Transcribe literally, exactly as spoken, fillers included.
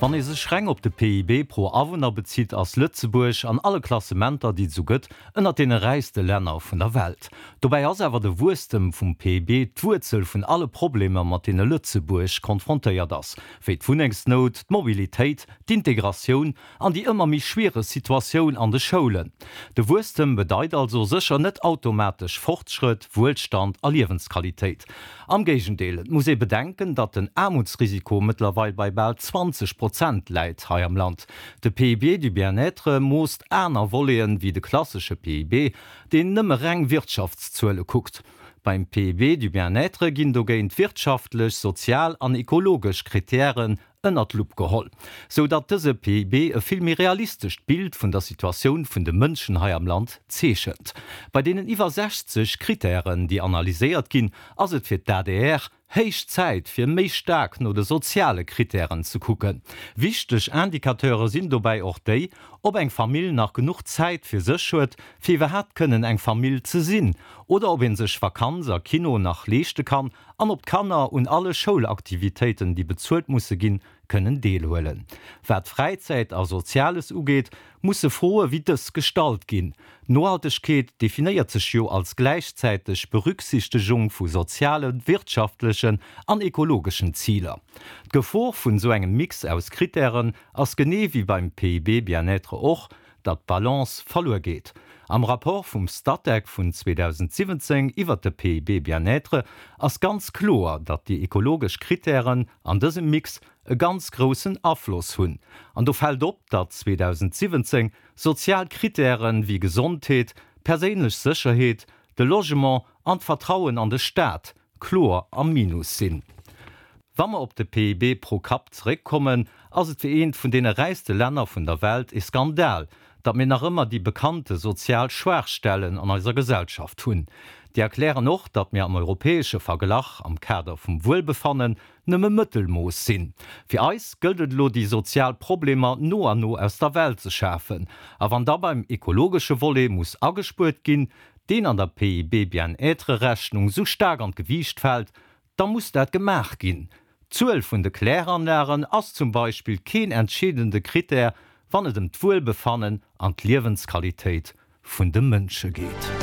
Wann ee sech reng op de P I B pro Awunner bezitt, ass Lëtzebuerg an alle Klassementer, déi et sou gëtt, ënnert deene räichste Länner vun der Welt. Dobäi ass awer de Wuesstem vum P I B d'Wuerzel vun alle Problemer, mat deene Lëtzebuerg konfrontéiert ass, wéi d'Wunnengsnout, d'Mobilitéit, d'Integratioun an déi ëmmer méi schwiereg Situatioun an de Schoulen. De Wuesstem bedeit also sécher net automatesch Fortschrëtt, Wuelstand a Liewensqualitéit. Am Géigendeel, et muss ee bedenken, datt den Aarmutsrisiko mëttlerweil bei bal zwanzeg Prozent läit hei am Land. De P I B du bien-être moosst aner Voleten wéi de klassesche P I B, deen nëmme reng Wirtschaftszuele kuckt. Beim P I B du bien-être ginn dogéint wirtschaftlech, sozial an ekologesch Krittären ënnert d'Lupp geholl, sou datt dëse P I B e vill méi realistescht Bild vun der Situatioun vun de Mënschen hei am Land zeechent. Bei deenen iwwer sechzeg Krittären, déi analyséiert ginn, ass et fir d'A D R héich Zäit, fir méi staark no de soziale Krittären ze kucken. Wichteg Indicateure sinn dobäi och déi, ob eng Famill nach genuch Zäit fir sech huet, fir iwwerhaapt kënnen eng Famill ze sinn, oder ob ee sech Vakanz a Kino nach leeschte kann an ob d'Kanner un alle Schoulaktivitéiten, déi bezuelt musse ginn, kënnen deelhuelen. Wat Fräizäit a Soziales ugeet, musse Froe wéi dës gestallt ginn. Nohaltegkeet definéiert sech jo als gläichzäiteg Berücksichtegung vu sozialen, wirtschaftlechen an ekologeschen Ziler. D'Gefor vun esou engem Mix aus Krittären ass genee wéi beim P I B bien-être och, datt d'Balance verluer geet. Am Rapport vum Statec vun zweedausendsiwwenzéng iwwert de P I B bien-être ass ganz kloer, datt déi ekologesch Krittären an dësem Mix e ganz groussen Afloss hunn. An do fält op, datt zweedausendsiwwenzéng sozial Krittären wéi Gesondheet, perséinlech Sécherheet, de Logement an d'Vertrauen an de Staat kloer am Minus sinn. Wa mer op de P I B pro Kapp zeréckkommen, ass et fir eent vun deene räichste Länner vun der Welt e Skandal, datt mir nach ëmmer déi bekannte sozial Schwaachstellen an eiser Gesellschaft hunn. Déi erklären och, datt mir am europäesche Verglach am Kader vum Wuelbefannen nëmme Mëttelmooss sinn. Fir eis gëllt et elo, déi sozial Problemer no an no aus der Welt ze schafen. A wann da beim ekologesche Volet muss agespuert ginn, deen an der P I B-Bien-être-Rechnung sou staark an d'Gewiicht fält, da muss dat gemaach ginn. D'Zuel vun de Kläranlagen ass zum Beispill keen entscheedende Krittär, wann et ëm d'Wuelbefannen an d'Liewensqualitéit vun de Mënsche geet.